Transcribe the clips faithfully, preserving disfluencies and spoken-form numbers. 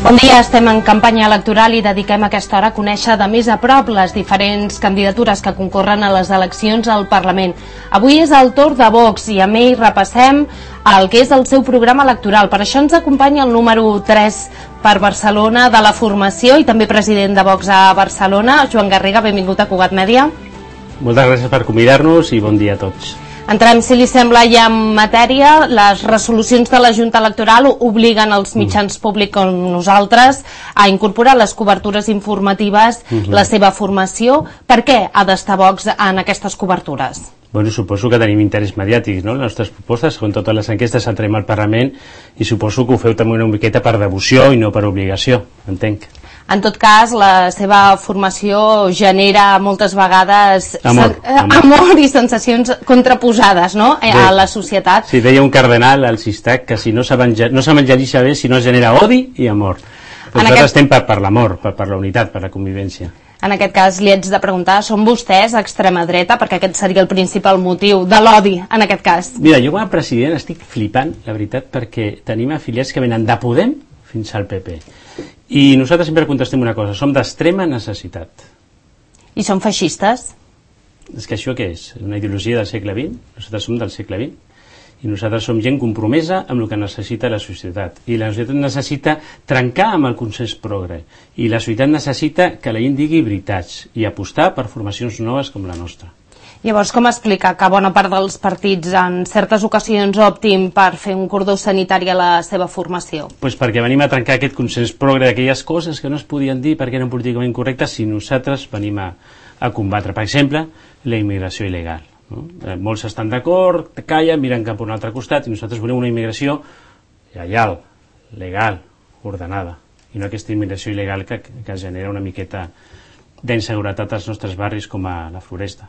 Bon dia, estem en campanya electoral i dediquem aquesta hora a conèixer de més a prop les diferents candidatures que concorren a les eleccions al Parlament. Avui és el torn de Vox i amb ell repassem el que és el seu programa electoral. Per això ens acompanya el número tres per Barcelona de la formació i també president de Vox a Barcelona, Joan Garriga. Benvingut a Cugat Mèdia. Moltes gràcies per convidar-nos i bon dia a tots. Entrem, si li sembla, ja en matèria. Les resolucions de la Junta Electoral obliguen els mitjans públics com nosaltres a incorporar les cobertures informatives, uh-huh. la seva formació. Per què ha d'estar Vox en aquestes cobertures? Bueno, suposo que tenim interès mediàtic, no? Les nostres propostes, com totes les enquestes, entrem al Parlament i suposo que ho feu també una miqueta per devoció i no per obligació, entenc. En tot cas, la seva formació genera moltes vegades amor, amor. amor i sensacions contraposades, no?, a Bé, la societat. Sí, deia un cardenal al Sistac que si no s'evangelitza bé, si no es genera odi i amor. Però nosaltres aquest... estem per, per l'amor, per, per la unitat, per la convivència. En aquest cas li haig de preguntar, són vostès extrema dreta? Perquè aquest seria el principal motiu de l'odi, en aquest cas. Mira, jo com a president estic flipant, la veritat, perquè tenim afiliats que venen de Podem fins al P P. I nosaltres sempre contestem una cosa, som d'extrema necessitat. I són feixistes? És que això què és? Una ideologia del segle vint? Nosaltres som del segle vint. I nosaltres som gent compromesa amb el que necessita la societat. I la societat necessita trencar amb el consens progre. I la societat necessita que la gent digui veritats i apostar per formacions noves com la nostra. Llavors, com explica que bona part dels partits en certes ocasions optin per fer un cordó sanitari a la seva formació? Pues perquè venim a trencar aquest consens progre d'aquelles coses que no es podien dir perquè eren políticament correctes si nosaltres venim a, a combatre. Per exemple, la immigració il·legal. No? Eh, molts estan d'acord, callen, miren cap a un altre costat i nosaltres volem una immigració lleial, legal, ordenada. I no aquesta immigració il·legal que, que genera una miqueta d'inseguretat als nostres barris com a la Floresta.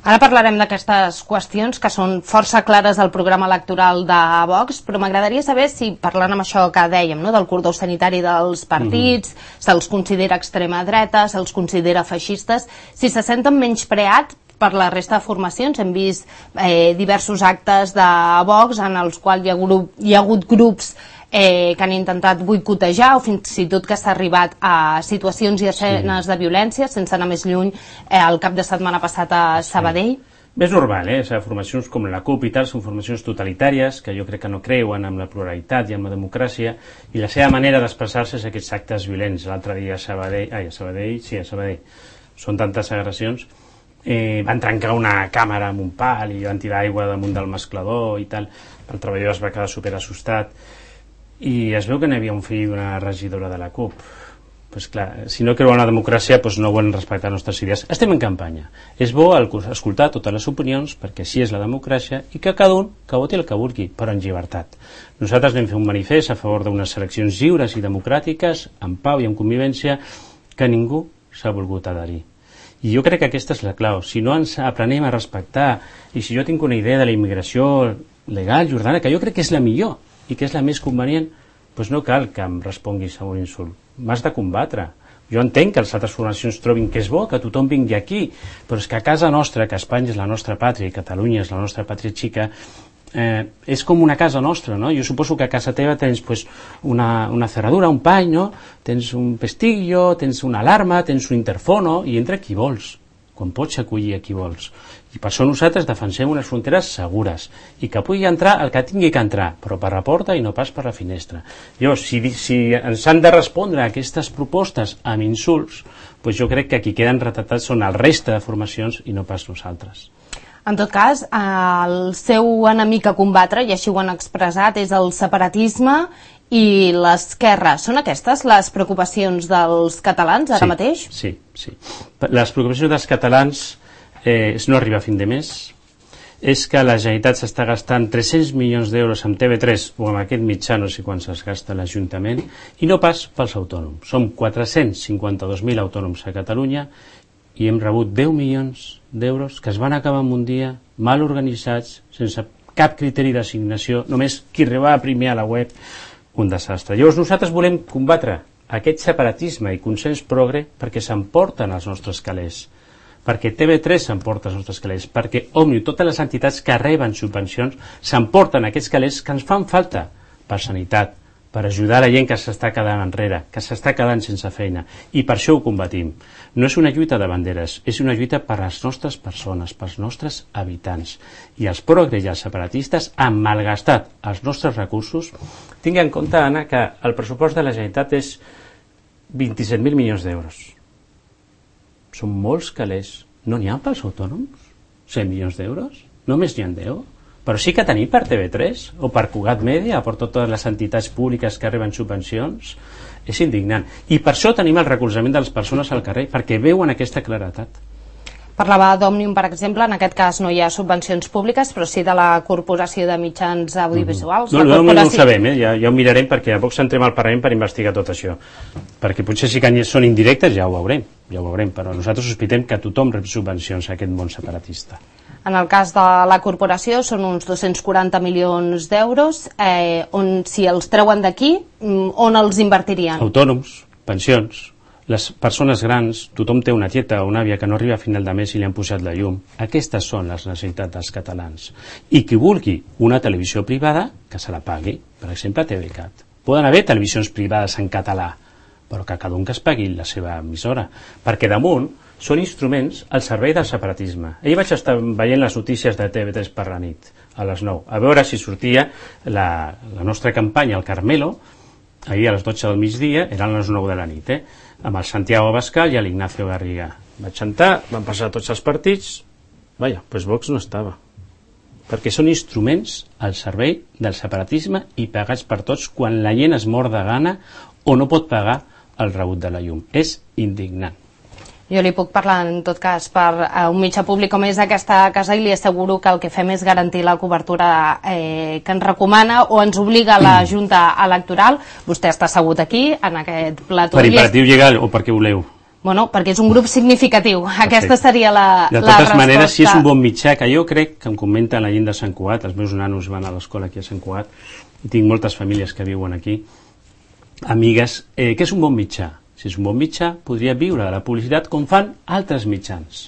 Ara parlarem d'aquestes qüestions que són força clares al programa electoral de Vox, però m'agradaria saber si, parlant amb això que dèiem, no, del cordó sanitari dels partits, mm-hmm. se'ls considera extrema dreta, se'ls considera feixistes, si se senten menyspreats per la resta de formacions. Hem vist eh, diversos actes de Vox en els quals hi ha, grup, hi ha hagut grups Eh, que han intentat boicotejar o fins i tot que s'ha arribat a situacions i escenes sí. de violència, sense anar més lluny, eh, el cap de setmana passat a Sabadell. Sí. Bé, és normal, eh? O sigui, formacions com la CUP i tal són formacions totalitàries que jo crec que no creuen en la pluralitat i en la democràcia i la seva manera d'expressar-se és aquests actes violents. L'altre dia a Sabadell, ai, a Sabadell, sí, a Sabadell, són tantes agressions, eh, van trencar una càmera amb un pal i van tirar aigua damunt del mesclador i tal, el treballador es va quedar super assustat. I es veu que n'hi havia un fill d'una regidora de la CUP. Pues clar, si no creuen en la democràcia, pues no volen respectar les nostres idees. Estem en campanya. És bo escoltar totes les opinions, perquè així és la democràcia, i que cada un que voti el que vulgui, però en llibertat. Nosaltres vam fer un manifest a favor d'unes eleccions lliures i democràtiques, en pau i en convivència, que ningú s'ha volgut adherir. I jo crec que aquesta és la clau. Si no ens aprenem a respectar, i si jo tinc una idea de la immigració legal i ordenada, que jo crec que és la millor, i que és la més convenient, doncs no cal que em responguis a un insult. M'has de combatre. Jo entenc que les altres formacions trobin que és bo, que tothom vingui aquí, però és que a casa nostra, que Espanya és la nostra pàtria i Catalunya és la nostra pàtria xica, eh, és com una casa nostra, no? Jo suposo que a casa teva tens pues, una, una cerradura, un pany, no? Tens un pestillo, tens una alarma, tens un interfono, i entra qui vols, quan pots acollir a qui vols. I per això nosaltres defensem unes fronteres segures i que pugui entrar el que tingui que entrar, però per la porta i no pas per la finestra. Llavors, si, si ens han de respondre a aquestes propostes amb insults, doncs jo crec que qui queden retratats són el reste de formacions i no pas nosaltres. En tot cas, el seu enemic a combatre, i així ho han expressat, és el separatisme i l'esquerra. Són aquestes les preocupacions dels catalans ara sí, mateix? Sí, sí. Les preocupacions dels catalans Eh, és no arribar a fin de mes, és que la Generalitat s'està gastant tres-cents milions d'euros amb T V tres o amb aquest mitjà, no sé quan es gasta l'Ajuntament, i no pas pels autònoms. Som quatre-cents cinquanta-dos mil autònoms a Catalunya i hem rebut deu milions d'euros que es van acabar en un dia, mal organitzats, sense cap criteri d'assignació, només qui arribava primer a la web, un desastre. Llavors nosaltres volem combatre aquest separatisme i consens progre perquè s'emporten els nostres calés, perquè T V tres s'emporta els nostres calés, perquè Òmnium, totes les entitats que reben subvencions s'emporten aquests calés que ens fan falta per sanitat, per ajudar la gent que s'està quedant enrere, que s'està quedant sense feina, i per això ho combatim. No és una lluita de banderes, és una lluita per les nostres persones, pels nostres habitants. I els progres i els separatistes han malgastat els nostres recursos. Tinc en compte, Anna, que el pressupost de la Generalitat és vint-i-set mil milions d'euros. Són molts calés. No n'hi ha pels autònoms? cent milions d'euros? Només n'hi ha deu? Però sí que tenim per T V tres o per Cugat Mèdia, per totes les entitats públiques que reben subvencions. És indignant. I per això tenim el recolzament de les persones al carrer, perquè veuen aquesta claretat. Parlava d'Òmnium, per exemple, en aquest cas no hi ha subvencions públiques, però sí de la Corporació de Mitjans Audiovisuals. Mm-hmm. No, no, corporació... no ho sabem, eh? ja, ja ho mirarem, perquè a poc entrem al Parlament per investigar tot això. Perquè potser si que són indirectes ja ho veurem, ja ho veurem, però nosaltres sospitem que tothom rep subvencions a aquest món separatista. En el cas de la corporació són uns dos-cents quaranta milions d'euros, eh, on si els treuen d'aquí, on els invertirien? Autònoms, pensions, les persones grans, tothom té una tieta o una àvia que no arriba a final de mes i li han posat la llum. Aquestes són les necessitats dels catalans. I qui vulgui una televisió privada, que se la pagui, per exemple T V Cat. Poden haver televisions privades en català, però que cada un que es pagui la seva emissora, perquè damunt són instruments al servei del separatisme. Ahir vaig estar veient les notícies de T V tres per la nit, a les nou, a veure si sortia la, la nostra campanya, el Carmelo, ahir a les dotze del migdia, eren les nou de la nit, eh? Amb el Santiago Abascal i l'Ignacio Garriga. Vaig entrar, van passar tots els partits, vaja, doncs Vox no estava. Perquè són instruments al servei del separatisme i pagats per tots quan la gent es mor de gana o no pot pagar el rebut de la llum. És indignant. Jo li puc parlar, en tot cas, per un mitjà públic com és aquesta casa i li asseguro que el que fem és garantir la cobertura eh, que ens recomana o ens obliga la Junta Electoral. Vostè està assegut aquí, en aquest plató. Per imperatiu legal o perquè voleu? Bueno, perquè és un grup significatiu. Aquesta seria la, de la resposta. De totes maneres, si és un bon mitjà, que jo crec que em comenta la gent de Sant Cugat, els meus nanos van a l'escola aquí a Sant Cugat, i tinc moltes famílies que viuen aquí, amigues, eh, que és un bon mitjà. Si és un bon mitjà, podria viure de la publicitat com fan altres mitjans.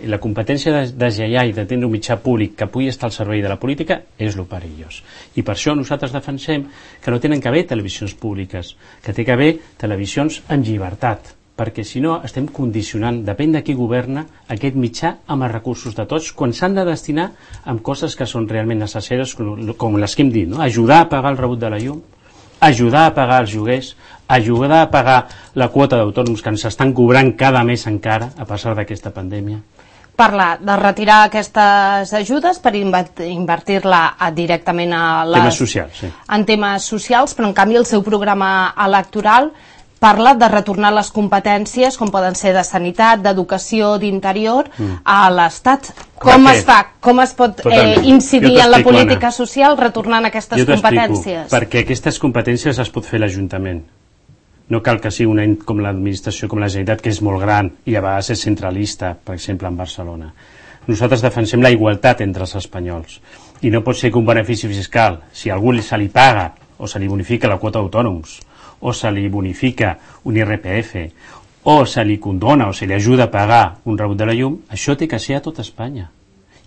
La competència de deslleiar i de tenir un mitjà públic que pugui estar al servei de la política és lo perillós. I per això nosaltres defensem que no tenen que haver televisions públiques, que té que haver televisions en llibertat, perquè si no estem condicionant, depèn de qui governa, aquest mitjà amb els recursos de tots, quan s'han de destinar amb coses que són realment necessàries, com les que hem dit, no? Ajudar a pagar el rebut de la llum, ajudar a pagar els lloguers, ajudar a pagar la quota d'autònoms que ens estan cobrant cada mes encara, a pesar d'aquesta pandèmia. Parla de retirar aquestes ajudes per invertir-la directament a les... temes socials, sí. En temes socials, però en canvi el seu programa electoral parla de retornar les competències, com poden ser de sanitat, d'educació, d'interior, mm. a l'Estat. Com es fa? Com es pot eh, incidir en la política social retornant aquestes competències? Perquè aquestes competències es pot fer l'Ajuntament. No cal que sigui una com l'administració, com la Generalitat, que és molt gran i a vegades és centralista, per exemple, en Barcelona. Nosaltres defensem la igualtat entre els espanyols. I no pot ser que un benefici fiscal, si a algú se li paga o se li bonifica la quota d'autònoms, o se li bonifica un I R P F, o se li condona o se li ajuda a pagar un rebut de la llum, això té que ser a tot Espanya.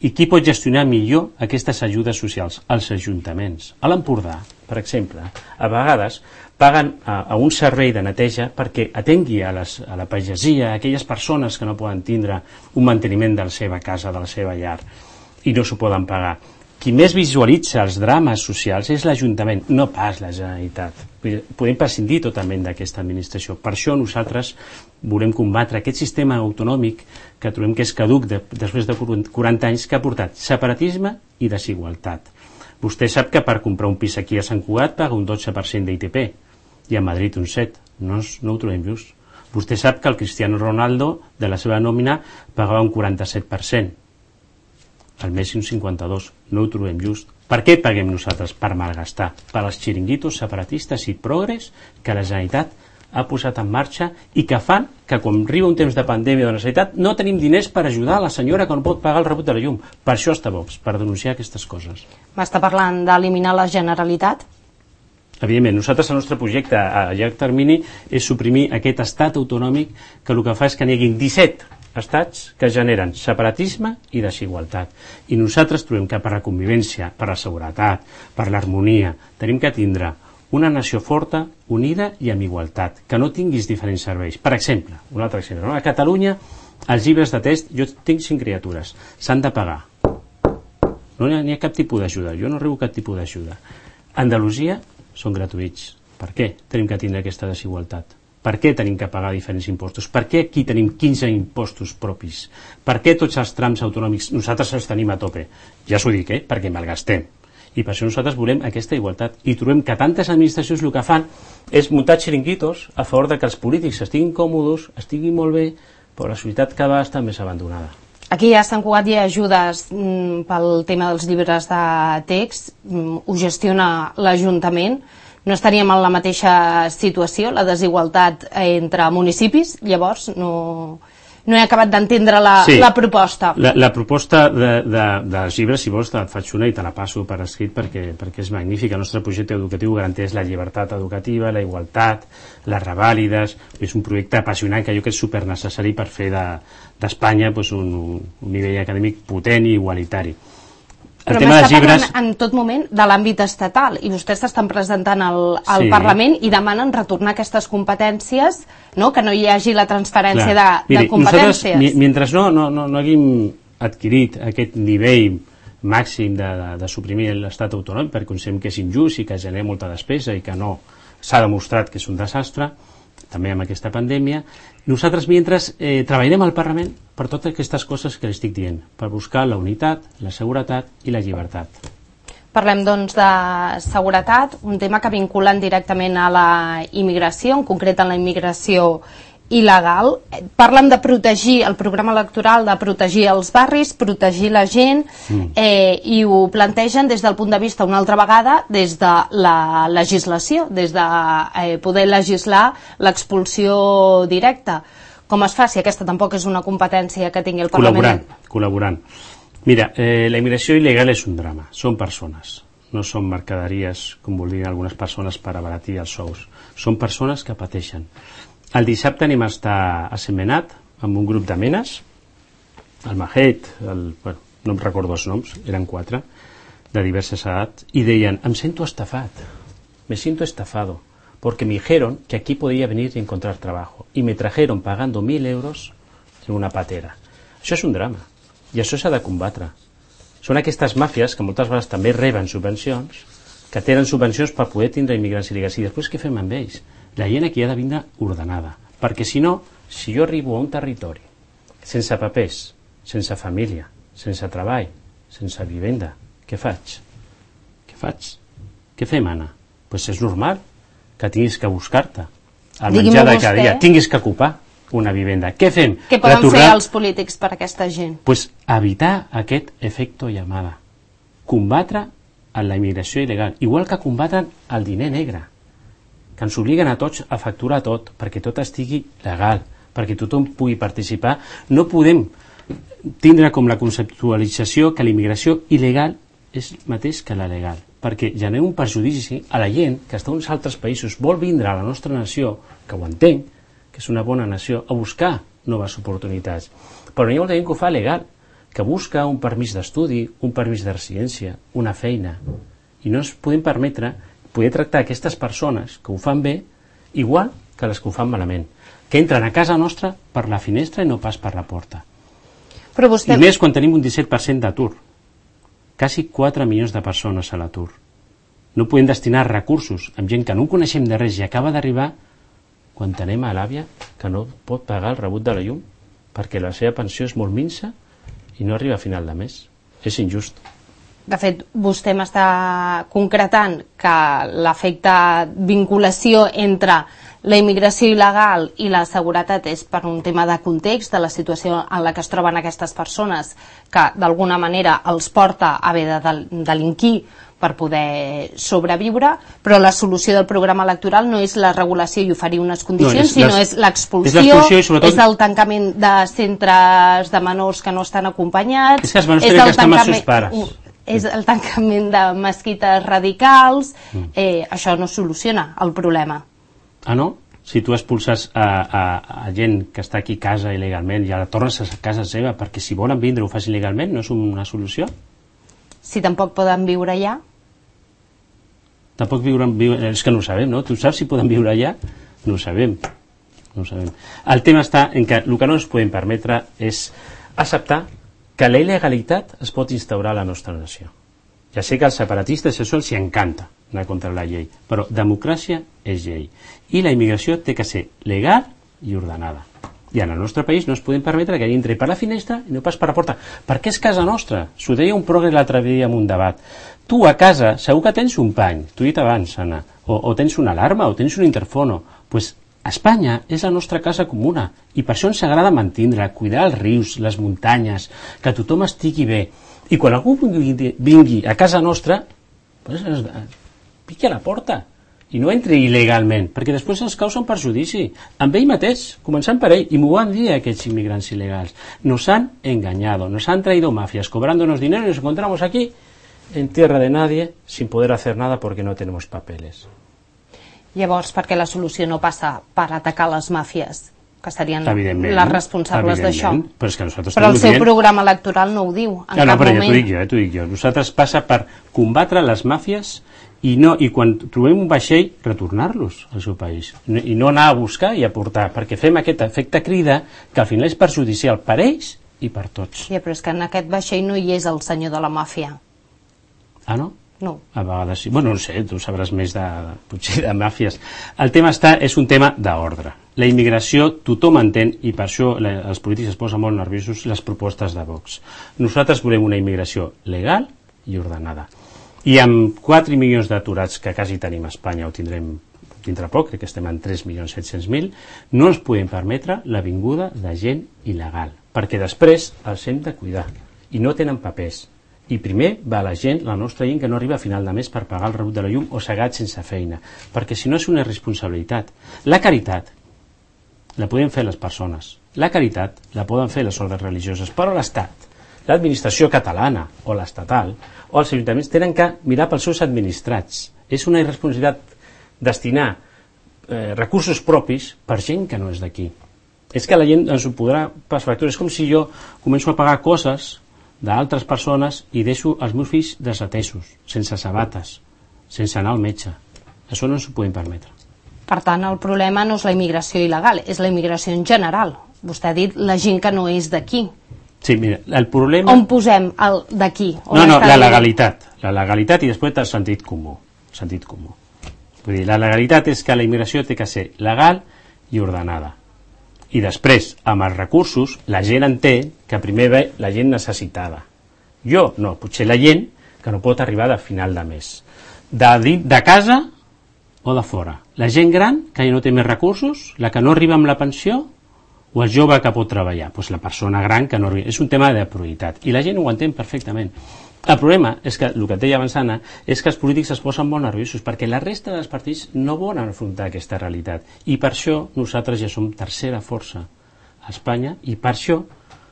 I qui pot gestionar millor aquestes ajudes socials? Els ajuntaments. A l'Empordà, per exemple, a vegades paguen a, a un servei de neteja perquè atengui a, les, a la pagesia, a aquelles persones que no poden tindre un manteniment de la seva casa, de la seva llar, i no s'ho poden pagar. Qui més visualitza els drames socials és l'Ajuntament, no pas la Generalitat. Podem prescindir totalment d'aquesta administració. Per això nosaltres volem combatre aquest sistema autonòmic que trobem que és caduc de, després de quaranta anys, que ha portat separatisme i desigualtat. Vostè sap que per comprar un pis aquí a Sant Cugat paga un dotze per cent d'I T P i a Madrid un set. No, no ho trobem just. Vostè sap que el Cristiano Ronaldo de la seva nòmina pagava un quaranta-set per cent. Al Messi un cinquanta-dos. No ho trobem just. Per què paguem nosaltres? Per malgastar. Per als xiringuitos separatistes i progres que la Generalitat ha posat en marxa i que fan que quan arriba un temps de pandèmia de necessitat no tenim diners per ajudar a la senyora que no pot pagar el rebut de la llum. Per això està Vox, per denunciar aquestes coses. M'està parlant d'eliminar la Generalitat? Evidentment, nosaltres el nostre projecte a llarg termini és suprimir aquest estat autonòmic que el que fa és que n'hi hagi disset estats que generen separatisme i desigualtat. I nosaltres trobem que per la convivència, per la seguretat, per l'harmonia, tenim que tindre una nació forta, unida i amb igualtat, que no tinguis diferents serveis. Per exemple, un altre exemple, no? A Catalunya, els llibres de text, jo tinc cinc criatures, s'han de pagar. No n'hi ha, ha cap tipus d'ajuda, jo no rebo cap tipus d'ajuda. A Andalusia són gratuïts. Per què tenim que tindre aquesta desigualtat? Per què tenim que pagar diferents impostos? Per què aquí tenim quinze impostos propis? Per què tots els trams autonòmics nosaltres els tenim a tope? Ja s'ho dic, eh? Perquè malgastem. I per això nosaltres volem aquesta igualtat. I trobem que tantes administracions el que fan és muntar xiringuitos a favor de que els polítics estiguin còmodes, estiguin molt bé, però la societat cada vegada està més abandonada. Aquí a Sant Cugat hi ha ajudes mm, pel tema dels llibres de text, mm, ho gestiona l'Ajuntament. No estaríem en la mateixa situació, la desigualtat entre municipis, llavors no, no he acabat d'entendre la, sí, la proposta. La, la proposta de, de, dels llibres, si vols, et faig una i te la passo per escrit perquè, perquè és magnífica. El nostre projecte educatiu garanteix la llibertat educativa, la igualtat, les revàlides. És un projecte apassionant que jo crec que és supernecessari per fer d'Espanya de, pues, un, un nivell acadèmic potent i igualitari. El Però m'està parlant en tot moment de l'àmbit estatal i vostès s'estan presentant al, al sí. Parlament i demanen retornar aquestes competències, no? Que no hi hagi la transferència de, Miri, de competències. Nosaltres, mentre no, no, no, no haguem adquirit aquest nivell màxim de, de, de suprimir l'estat autònom, perquè considerem que és injust i que genera molta despesa i que no s'ha demostrat que és un desastre, també amb aquesta pandèmia, nosaltres mentre eh, treballarem al Parlament per totes aquestes coses que li estic dient, per buscar la unitat, la seguretat i la llibertat. Parlem doncs de seguretat, un tema que vinculen directament a la immigració, en concret a la immigració il·legal. Parlen de protegir, el programa electoral de protegir els barris, protegir la gent, mm. eh, i ho plantegen des del punt de vista una altra vegada des de la legislació, des de eh, poder legislar l'expulsió directa. Com es fa si aquesta tampoc és una competència que tingui el Parlament? Col·laborant, col·laborant. Mira, eh, la immigració il·legal és un drama, són persones, no són mercaderies, com voldrien algunes persones per abaratir els sous, són persones que pateixen. El dissabte anem a estar a Sentmenat amb un grup de menes, el Mahet, el, bueno, no em recordo els noms, eren quatre, de diverses edats, i deien, em sento estafat, me siento estafado, porque me dijeron que aquí podía venir y encontrar trabajo, y me trajeron pagando mil euros en una patera. Això és un drama, i això s'ha de combatre. Són aquestes màfies que moltes vegades també reben subvencions, que tenen subvencions per poder tindre immigrants il·legals, i després què fem amb ells? La gent aquí ha de vindre ordenada, perquè si no, si jo arribo a un territori sense papers, sense família, sense treball, sense vivenda, què faig? Què faig? Què fem, Anna? Pues és normal que tinguis que buscar-te el menjar de cada dia, tinguis que ocupar una vivenda. Què fem? Què poden Retornar... fer els polítics per a aquesta gent? Pues evitar aquest efecto llamada, combatre la immigració il·legal, igual que combaten el diner negre, que ens obliguen a tots a facturar tot, perquè tot estigui legal, perquè tothom pugui participar. No podem tindre com la conceptualització que la immigració il·legal és mateix que la legal, perquè genera un perjudici a la gent que està en uns altres països, vol vindre a la nostra nació, que ho entenc, que és una bona nació, a buscar noves oportunitats. Però hi ha molta gent que ho fa legal, que busca un permís d'estudi, un permís de residència, una feina, i no ens podem permetre poder tractar aquestes persones que ho fan bé igual que les que ho fan malament, que entren a casa nostra per la finestra i no pas per la porta. Però vostè... I més quan tenim un disset per cent d'atur, quasi quatre milions de persones a l'atur. No podem destinar recursos amb gent que no coneixem de res i acaba d'arribar quan tenem a l'àvia que no pot pagar el rebut de la llum perquè la seva pensió és molt minsa i no arriba a final de mes. És injust. De fet, vostè m'està concretant que l'efecte vinculació entre la immigració il·legal i la seguretat és per un tema de context, de la situació en la que es troben aquestes persones, que d'alguna manera els porta a haver de del delinquir per poder sobreviure, però la solució del programa electoral no és la regulació i oferir unes condicions, no, és sinó és l'expulsió, és, sobretot... és el tancament de centres de menors que no estan acompanyats, és que els menors tenen que estar amb els seus pares. És el tancament de mesquites radicals, eh, això no soluciona el problema. Ah, no? Si tu expulses a, a, a gent que està aquí a casa il·legalment i ara tornes a casa seva perquè si volen vindre ho facin il·legalment, no és una solució? Si tampoc poden viure allà? Tampoc viure, viure, és que no ho sabem, no? Tu saps si poden viure allà? No ho sabem. No ho sabem. El tema està en que el que no ens podem permetre és acceptar que la il·legalitat es pot instaurar a la nostra nació. Ja sé que als separatistes això els encanta anar contra la llei, però democràcia és llei. I la immigració té que ser legal i ordenada. I en el nostre país no es podem permetre que entri per la finestra i no pas per la porta, perquè és casa nostra. S'ho deia un progre l'altre dia en un debat. Tu a casa segur que tens un pany, t'ho he dit abans, Anna, o, o tens una alarma, o tens un interfono. Pues Espanya és la nostra casa comuna i per això ens agrada mantindre, cuidar els rius, les muntanyes, que tothom estigui bé. I quan algú vingui, vingui a casa nostra, pues, piqui a la porta i no entri il·legalment, perquè després ens causa un perjudici amb ell mateix, començant per ell, i m'ho van dir aquests immigrants il·legals. Nos han engañado, nos han traído mafias cobrándonos dinero y nos encontramos aquí en tierra de nadie sin poder hacer nada porque no tenemos papeles. Llavors, per què la solució no passa per atacar les màfies, que serien les responsables d'això? Però, és que nosaltres però el seu dient... programa electoral no ho diu en no, no, cap però moment. Ja t'ho dic jo, ja t'ho dic jo. Nosaltres passa per combatre les màfies i, no, i quan trobem un vaixell, retornar-los al seu país. I no anar a buscar i a portar, perquè fem aquest efecte crida que al final és perjudicial per ells i per tots. Ja, però és que en aquest vaixell no hi és el senyor de la màfia. Ah, no? No. A vegades sí. Bueno, no sé, tu sabràs més de, potser de màfies. El tema està, és un tema d'ordre. La immigració tothom entén i per això la, els polítics es posen molt nerviosos les propostes de Vox. Nosaltres volem una immigració legal i ordenada. I amb quatre milions d'aturats que quasi tenim a Espanya, o tindrem dintre poc, crec que estem en tres milions set-cents mil, no ens podem permetre la vinguda de gent il·legal, perquè després els hem de cuidar i no tenen papers. I primer va la gent, la nostra gent que no arriba a final de mes per pagar el rebut de la llum o segat sense feina, perquè si no és una irresponsabilitat. La caritat la poden fer les persones, la caritat la poden fer les ordres religioses, però l'Estat, l'administració catalana o l'estatal o els ajuntaments tenen que mirar pels seus administrats. És una irresponsabilitat destinar eh, recursos propis per gent que no és d'aquí. És que la gent ens ho podrà pas factura. És com si jo començo a pagar coses d'altres persones i deixo els meus fills desatesos, sense sabates, sense anar al metge. Això no ens ho podem permetre. Per tant, el problema no és la immigració il·legal, és la immigració en general. Vostè ha dit la gent que no és d'aquí. Sí, mira, el problema... On posem el d'aquí? No, no, la legalitat. La legalitat i després el sentit comú. Sentit comú. Vull dir, la legalitat és que la immigració té que ser legal i ordenada. I després, amb els recursos, la gent entén que primer ve la gent necessitada. Jo, no, potser la gent que no pot arribar de final de mes. De, de casa o de fora. La gent gran, que ja no té més recursos, la que no arriba amb la pensió, o el jove que pot treballar. Pues la persona gran que no arriba. És un tema de prioritat. I la gent ho entén perfectament. El problema és que, el que et deia abans, Anna, és que els polítics es posen molt nerviosos perquè la resta dels partits no volen afrontar aquesta realitat i per això nosaltres ja som tercera força a Espanya i per això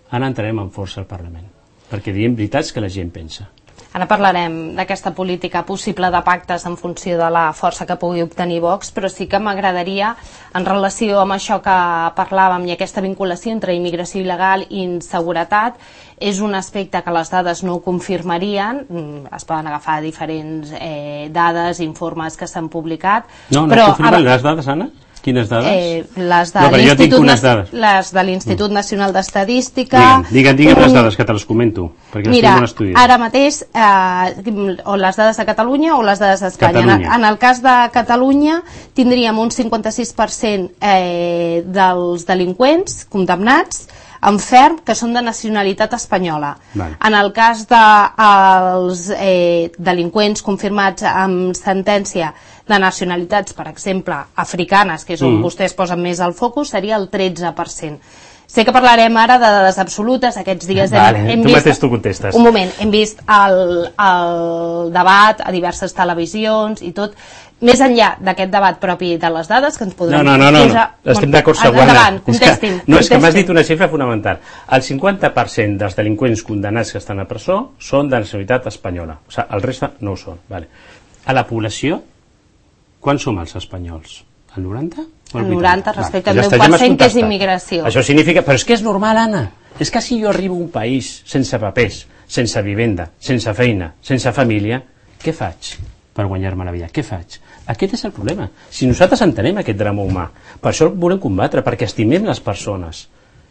ara entrarem amb força al Parlament, perquè diem veritats que la gent pensa. Ara parlarem d'aquesta política possible de pactes en funció de la força que pugui obtenir Vox, però sí que m'agradaria, en relació amb això que parlàvem i aquesta vinculació entre immigració il·legal i inseguretat, és un aspecte que les dades no ho confirmarien, es poden agafar diferents eh, dades, informes que s'han publicat. No, no però, confirmen les dades, Anna? Quines dades? Eh, les de no, l'Institut les de l'Institut Nacional d'Estadística. Digue'm, digue'm un... les dades que te les comento, perquè Mira, les tinc ara mateix, eh, o les dades de Catalunya o les dades d'Espanya. En, en el cas de Catalunya tindríem un cinquanta-sis per cent eh, dels delinqüents condemnats en ferm que són de nacionalitat espanyola. Vale. En el cas dels de, eh, delinqüents confirmats amb sentència de nacionalitats, per exemple, africanes, que és on mm. vostès posen més el focus, seria el tretze per cent. Sé que parlarem ara de dades absolutes, aquests dies vale, hem, hem tu vist... mateix tu contestes. Un moment, hem vist el, el debat a diverses televisions i tot. Més enllà d'aquest debat propi de les dades, que ens podrem... No, no, no, no, no. estem d'acord següent. Endavant, contestin. És que, no, és que m'has dit una xifra fonamental. El cinquanta per cent dels delinqüents condemnats que estan a presó són de nacionalitat espanyola. O sigui, el reste no ho són. Vale. A la població, quants som els espanyols? El noranta? El noranta respecte al deu per cent que és immigració. Això significa... Però és que és normal, Anna. És que si jo arribo a un país sense papers, sense vivenda, sense feina, sense família, què faig? per guanyar-me la vida. Què faig? Aquest és el problema. Si nosaltres entenem aquest drama humà, per això el volem combatre, perquè estimem les persones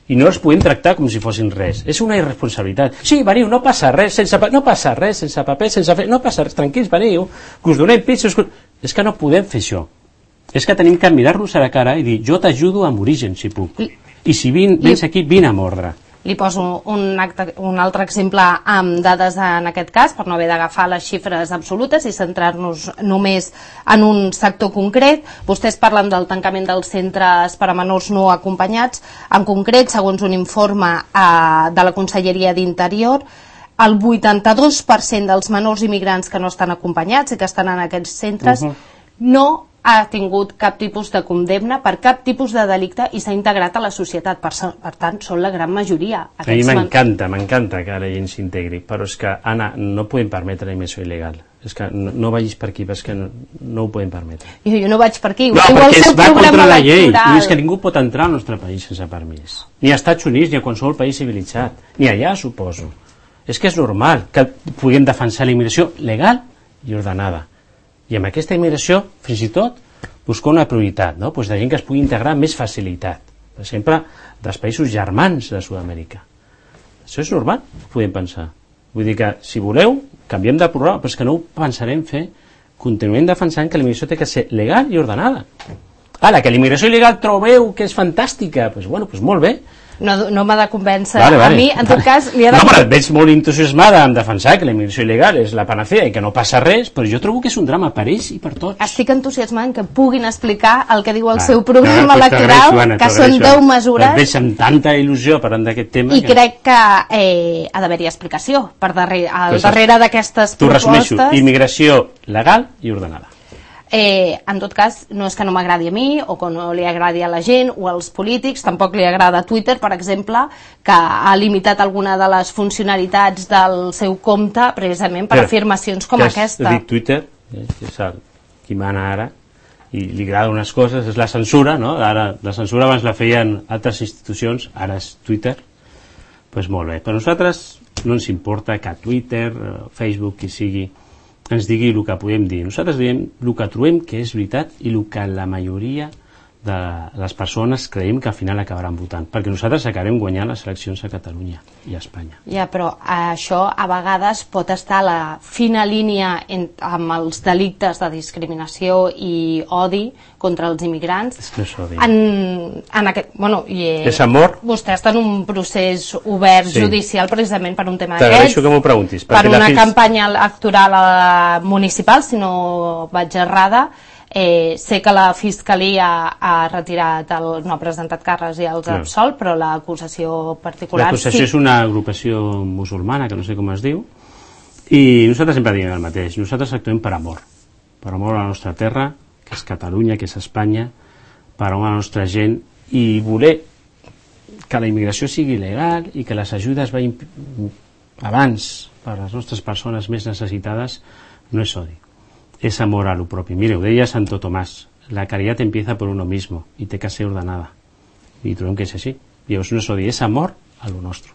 i no els podem tractar com si fossin res. És una irresponsabilitat. Sí, veniu, no passa res, sense pa no passa res, sense paper, sense fer, no passa res, tranquils, veniu, que us donem pitjos. Que... És que no podem fer això. És que tenim que mirar-nos a la cara i dir, jo t'ajudo amb origen, si puc. I si vin, vens aquí, vine a mordre. Li poso un, acte, un altre exemple amb dades en aquest cas, per no haver d'agafar les xifres absolutes i centrar-nos només en un sector concret. Vostès parlen del tancament dels centres per a menors no acompanyats. En concret, segons un informe eh, de la Conselleria d'Interior, el vuitanta-dos per cent dels menors immigrants que no estan acompanyats i que estan en aquests centres uh-huh. no ha tingut cap tipus de condemna per cap tipus de delicte i s'ha integrat a la societat. Per, per tant, són la gran majoria. A mi m'encanta, m'encanta que la gent s'integri, però és que, Anna, no podem permetre la immersió il·legal. És que no, no vagis per aquí, perquè és que no, no ho podem permetre. Jo, jo no vaig per aquí. No, perquè es va contra la llei. I és que ningú pot entrar al nostre país sense permís. Ni als Estats Units, ni a qualsevol país civilitzat. Ni allà, suposo. És que és normal que puguem defensar la immigració legal i ordenada. I amb aquesta immigració, fins i tot, buscar una prioritat, no? Pues de gent que es pugui integrar amb més facilitat. Per exemple, dels països germans de Sud-amèrica. Això és normal, ho podem pensar. Vull dir que, si voleu, canviem de programa, però és que no ho pensarem fer. Continuem defensant que la immigració té que ser legal i ordenada. Ara, que la immigració il·legal trobeu que és fantàstica, doncs bueno, doncs molt bé. No, no m'ha de convèncer. Vale, vale. A mi, en tot cas, li ha de... No, però et veig molt entusiasmada en defensar que la immigració il·legal és la panacea i que no passa res, però jo trobo que és un drama per ells i per tots. Estic entusiasmada en que puguin explicar el que diu el ah, seu programa no, electoral, Joana, que són deu mesures. Et veig amb tanta il·lusió parlant d'aquest tema. I que... crec que eh, ha d'haver-hi explicació per darrere, al pues darrere d'aquestes propostes. T'ho resumeixo, immigració legal i ordenada. Eh, en tot cas, no és que no m'agradi a mi o que no li agradi a la gent o als polítics, tampoc li agrada a Twitter, per exemple, que ha limitat alguna de les funcionalitats del seu compte precisament per Però, afirmacions com has, aquesta. Has dit Twitter, eh, que és el, qui mana ara, i li agrada unes coses, és la censura, no? Ara, la censura abans la feien altres institucions, ara és Twitter, doncs pues molt bé. Per nosaltres no ens importa que Twitter, Facebook, qui sigui, ens digui el que podem dir. Nosaltres diem el que trobem que és veritat i el que la majoria de les persones creiem que al final acabaran votant, perquè nosaltres acabarem guanyant les eleccions a Catalunya i a Espanya. Ja, però això a vegades pot estar a la fina línia en, amb els delictes de discriminació i odi contra els immigrants. És que és odi. En, en aquest, bueno, i, és amor. Vostè està en un procés obert sí. judicial precisament per un tema d'aquests. T'agraeixo que m'ho preguntis. Per una fins... campanya electoral municipal, si no vaig errada. Eh, sé que la Fiscalia ha retirat, el, no ha presentat càrrecs i els ha absolt, però l'acusació particular... L'acusació sí. és una agrupació musulmana, que no sé com es diu, i nosaltres sempre diem el mateix. Nosaltres actuem per amor. Per amor a la nostra terra, que és Catalunya, que és Espanya, per amor a la nostra gent, i voler que la immigració sigui legal i que les ajudes vagin abans per a les nostres persones més necessitades, no és odi. Es amor a lo propio. Mire, ho deia Santo Tomàs, la caridad empieza por uno mismo i té que ser ordenada. I trobem que és així. I llavors no és odi, és amor a lo nostre.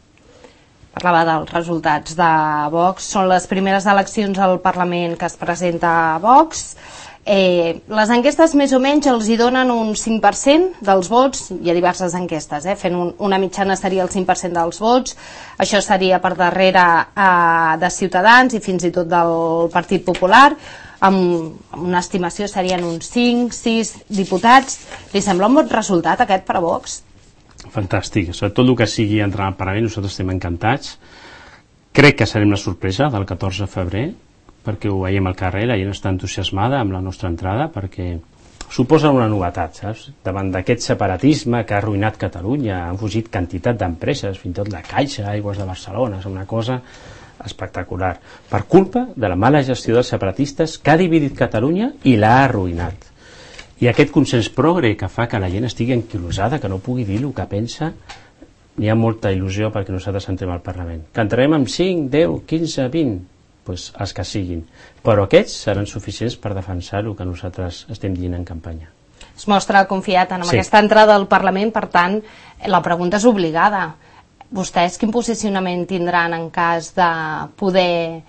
Parlava dels resultats de Vox. Són les primeres eleccions al Parlament que es presenta a Vox. Eh, les enquestes més o menys els hi donen un cinc per cent dels vots. Hi ha diverses enquestes, eh? Fent un, una mitjana seria el cinc per cent dels vots. Això seria per darrere eh, de Ciutadans i fins i tot del Partit Popular. Amb una estimació serien uns cinc sis diputats. Li sembla un bon resultat aquest per a Vox? Fantàstic, sobretot el que sigui entrar al Parlament, nosaltres estem encantats. Crec que serem la sorpresa del catorze de febrer, perquè ho veiem al carrer, la gent està entusiasmada amb la nostra entrada, perquè suposa una novetat, saps? Davant d'aquest separatisme que ha arruïnat Catalunya, han fugit quantitat d'empreses, fins i tot la Caixa, Aigües de Barcelona, és una cosa espectacular, per culpa de la mala gestió dels separatistes que ha dividit Catalunya i l'ha arruïnat. I aquest consens progre que fa que la gent estigui enquilosada, que no pugui dir el que pensa, n'hi ha molta il·lusió perquè nosaltres entrem al Parlament. Que entrarem amb cinc, deu, quinze, vint, doncs els que siguin. Però aquests seran suficients per defensar el que nosaltres estem dient en campanya. Es mostra confiat en sí. aquesta entrada al Parlament, per tant, la pregunta és obligada. Vostès quin posicionament tindran en cas de poder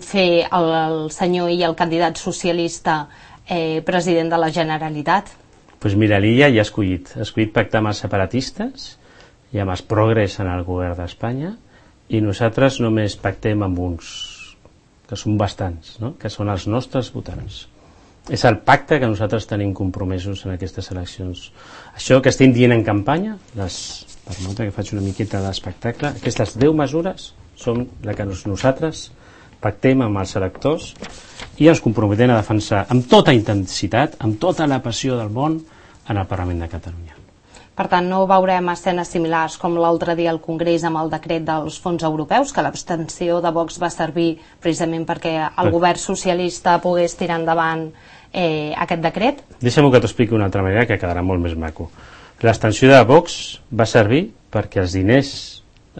fer el, el senyor i el candidat socialista eh, president de la Generalitat? Doncs pues mira, l'Illa ja ha escollit. Ha escollit pactar amb els separatistes i amb els progres en el govern d'Espanya, i nosaltres només pactem amb uns, que són bastants, no? Que són els nostres votants. És el pacte que nosaltres tenim compromesos en aquestes eleccions. Això que estem dient en campanya, les, per molt que faig una miqueta d'espectacle, aquestes deu mesures són les que nosaltres pactem amb els electors i ens comprometem a defensar amb tota intensitat, amb tota la passió del món, en el Parlament de Catalunya. Per tant, no veurem escenes similars com l'altre dia al Congrés amb el decret dels fons europeus, que l'abstenció de Vox va servir precisament perquè el govern socialista pogués tirar endavant eh, aquest decret? Deixa'm que t'ho expliqui d'una altra manera que quedarà molt més maco. L'abstenció de Vox va servir perquè els diners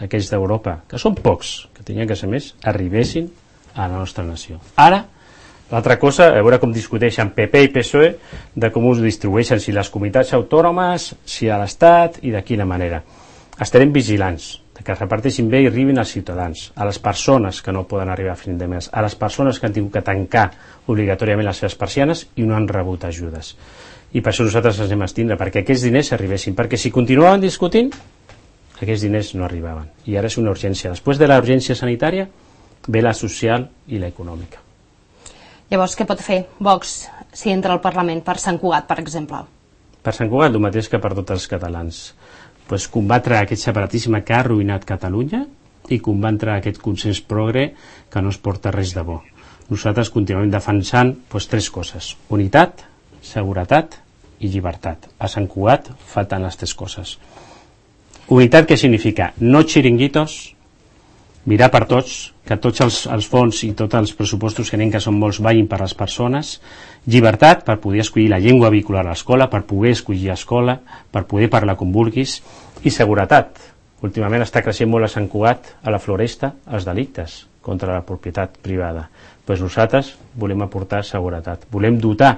aquells d'Europa, que són pocs, que tenien que ser més, arribessin a la nostra nació. Ara, l'altra cosa, a veure com discuteixen P P i P S O E de com us distribueixen, si les comunitats autònomes, si a l'Estat i de quina manera. Estarem vigilants de que es reparteixin bé i arribin als ciutadans, a les persones que no poden arribar a fin de mes, a les persones que han tingut que tancar obligatòriament les seves persianes i no han rebut ajudes. I per això nosaltres ens hem estindre, perquè aquests diners arribessin, perquè si continuaven discutint, aquests diners no arribaven. I ara és una urgència. Després de la urgència sanitària ve la social i la econòmica. Llavors, què pot fer Vox si entra al Parlament per Sant Cugat, per exemple? Per Sant Cugat, el mateix que per tots els catalans. Pues combatre aquest separatisme que ha arruïnat Catalunya i combatre aquest consens progre que no es porta res de bo. Nosaltres continuem defensant pues, tres coses: unitat, seguretat i llibertat. A Sant Cugat falten les tres coses. Unitat, què significa? No xiringuitos, mirar per tots, que tots els, els fons i tots els pressupostos que anem, que són molts, vagin per les persones. Llibertat, per poder escollir la llengua vehicular a l'escola, per poder escollir escola, per poder parlar com vulguis. I seguretat. Últimament està creixent molt a Sant Cugat, a la Floresta, els delictes contra la propietat privada. Pues nosaltres volem aportar seguretat. Volem dotar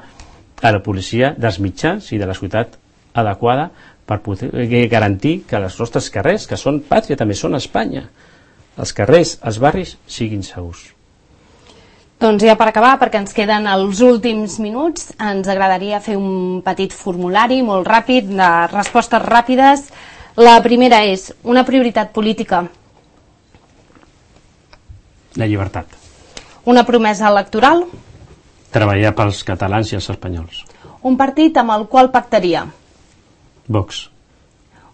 a la policia dels mitjans i de la ciutat adequada per poder garantir que els nostres carrers, que són pàtria, també són Espanya, els carrers, els barris, siguin segurs. Doncs ja per acabar, perquè ens queden els últims minuts, ens agradaria fer un petit formulari molt ràpid, de respostes ràpides. La primera és una prioritat política. La llibertat. Una promesa electoral. Treballar pels catalans i els espanyols. Un partit amb el qual pactaria. Vox.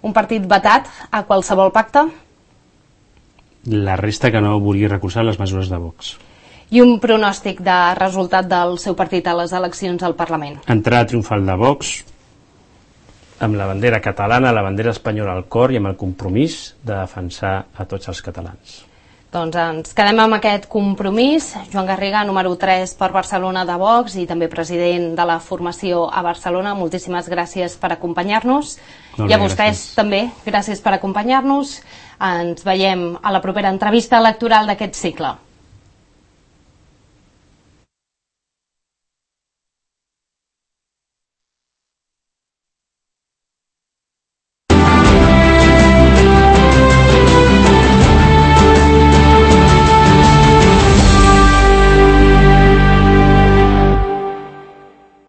Un partit vetat a qualsevol pacte. La resta que no vulgui recolzar les mesures de Vox. I un pronòstic de resultat del seu partit a les eleccions al Parlament. Entrada triomfal de Vox amb la bandera catalana, la bandera espanyola al cor i amb el compromís de defensar a tots els catalans. Doncs ens quedem amb aquest compromís. Joan Garriga, número tres per Barcelona de Vox i també president de la formació a Barcelona, moltíssimes gràcies per acompanyar-nos. I a vostès també, gràcies per acompanyar-nos. Ens veiem a la propera entrevista electoral d'aquest cicle.